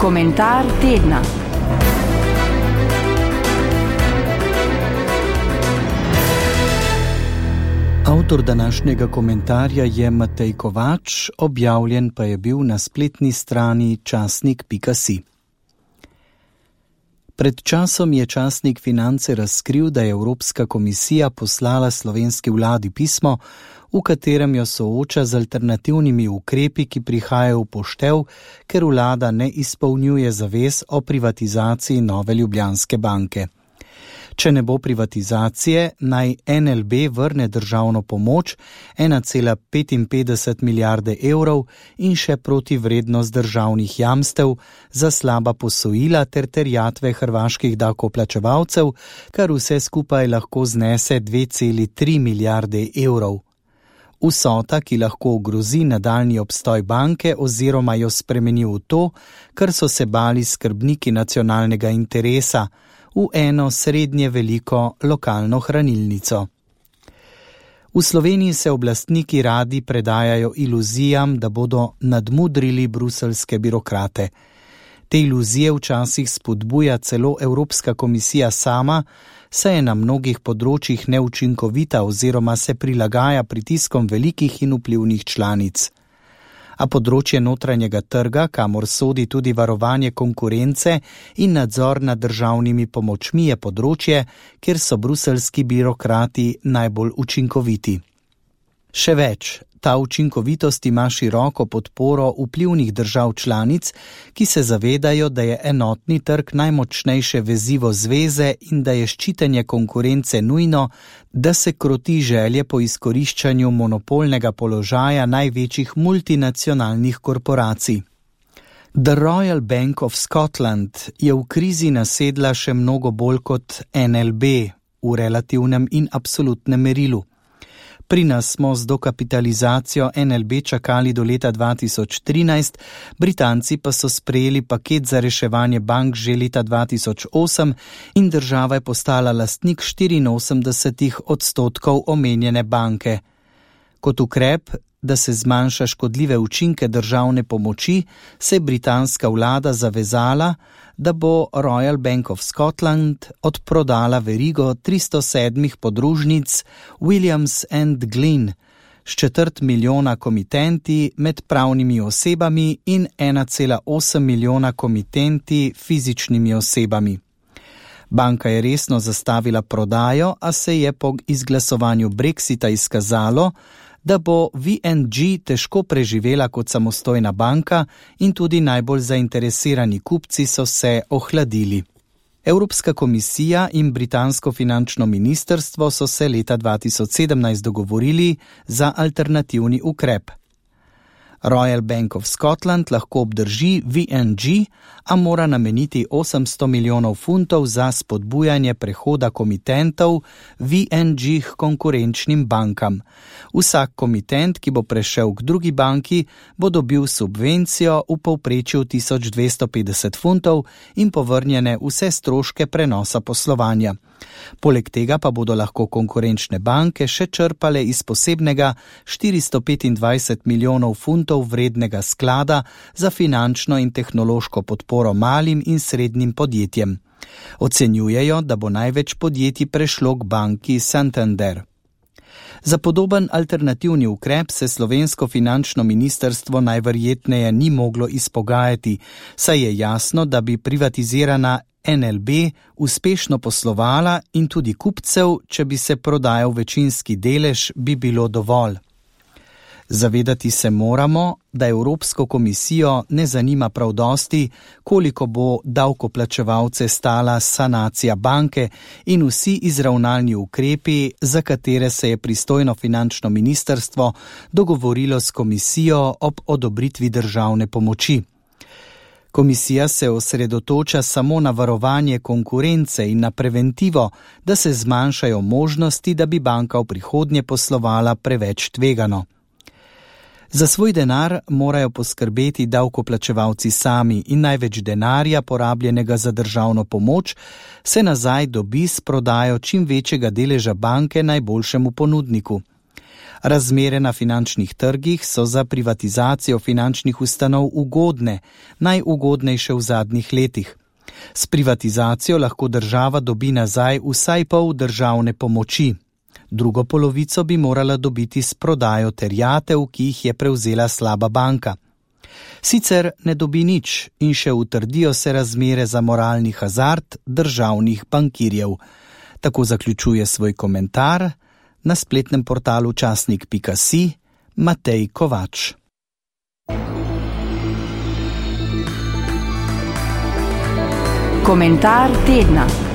Komentar tedna. Avtor današnjega komentarja je Matej Kovač, objavljen pa je bil na spletni strani časnik.si. Pred časom je časnik Finance razkril, da je Evropska komisija poslala slovenski vladi pismo, v katerem jo sooča z alternativnimi ukrepi, ki prihajajo v poštev, ker vlada ne izpolnjuje zavez o privatizaciji Nove Ljubljanske banke. Če ne bo privatizacije, naj NLB vrne državno pomoč 1,55 milijarde evrov in še protivrednost državnih jamstev za slaba posojila ter terjatve hrvaških davkoplačevalcev, kar vse skupaj lahko znese 2,3 milijarde evrov. Vsota, ki lahko ogrozi nadaljnji obstoj banke oziroma jo spremeni v to, kar so se bali skrbniki nacionalnega interesa, v eno srednje veliko lokalno hranilnico. V Sloveniji se oblastniki radi predajajo iluzijam, da bodo nadmudrili bruseljske birokrate. Te iluzije včasih spodbuja celo Evropska komisija sama, saj je na mnogih področjih neučinkovita oziroma se prilagaja pritiskom velikih in vplivnih članic. A področje notranjega trga, kamor sodi tudi varovanje konkurence in nadzor nad državnimi pomočmi, je področje, kjer so bruseljski birokrati najbolj učinkoviti. Še več, ta učinkovitost ima široko podporo vplivnih držav članic, ki se zavedajo, da je enotni trg najmočnejše vezivo zveze in da je ščitenje konkurence nujno, da se kroti želje po izkoriščanju monopolnega položaja največjih multinacionalnih korporacij. The Royal Bank of Scotland je v krizi nasedla še mnogo bolj kot NLB v relativnem in absolutnem merilu. Pri nas smo z dokapitalizacijo NLB čakali do leta 2013, Britanci pa so sprejeli paket za reševanje bank že leta 2008 in država je postala lastnik 84% omenjene banke. Kot ukrep, da se zmanjša škodljive učinke državne pomoči, se je britanska vlada zavezala, da bo Royal Bank of Scotland odprodala verigo 307 podružnic Williams & Glyn s 250 milijona komitenti med pravnimi osebami in 1,8 milijona komitenti fizičnimi osebami. Banka je resno zastavila prodajo, a se je po izglasovanju Brexita izkazalo, da bo VNG težko preživela kot samostojna banka in tudi najbolj zainteresirani kupci so se ohladili. Evropska komisija in britansko finančno ministrstvo so se leta 2017 dogovorili za alternativni ukrep. Royal Bank of Scotland lahko obdrži VNG, a mora nameniti 800 milijonov funtov za spodbujanje prehoda komitentov VNG k konkurenčnim bankam. Vsak komitent, ki bo prešel k drugi banki, bo dobil subvencijo v povprečju 1250 funtov in povrnjene vse stroške prenosa poslovanja. Poleg tega pa bodo lahko konkurenčne banke še črpale iz posebnega 425 milijonov funtov vrednega sklada za finančno in tehnološko podporo malim in srednjim podjetjem. Ocenjujejo, da bo največ podjetij prešlo k banki Santander. Za podoben alternativni ukrep se slovensko finančno ministrstvo najverjetneje ni moglo izpogajati, saj je jasno, da bi privatizirana NLB uspešno poslovala in tudi kupcev, če bi se prodajal večinski delež, bi bilo dovolj. Zavedati se moramo, da Evropsko komisijo ne zanima prav dosti, koliko bo davkoplačevalce stala sanacija banke in vsi izravnalni ukrepi, za katere se je pristojno finančno ministrstvo dogovorilo s komisijo ob odobritvi državne pomoči. Komisija se osredotoča samo na varovanje konkurence in na preventivo, da se zmanjšajo možnosti, da bi banka v prihodnje poslovala preveč tvegano. Za svoj denar morajo poskrbeti davkoplačevalci sami in največ denarja, porabljenega za državno pomoč, se nazaj dobi s prodajo čim večjega deleža banke najboljšemu ponudniku. Razmere na finančnih trgih so za privatizacijo finančnih ustanov ugodne, najugodnejše v zadnjih letih. S privatizacijo lahko država dobi nazaj vsaj pol državne pomoči. Drugo polovico bi morala dobiti s prodajo terjatev, ki jih je prevzela slaba banka. Sicer ne dobi nič in še utrdijo se razmere za moralni hazard državnih bankirjev. Tako zaključuje svoj komentar na spletnem portalu časnik.si Matej Kovač. Komentar tedna.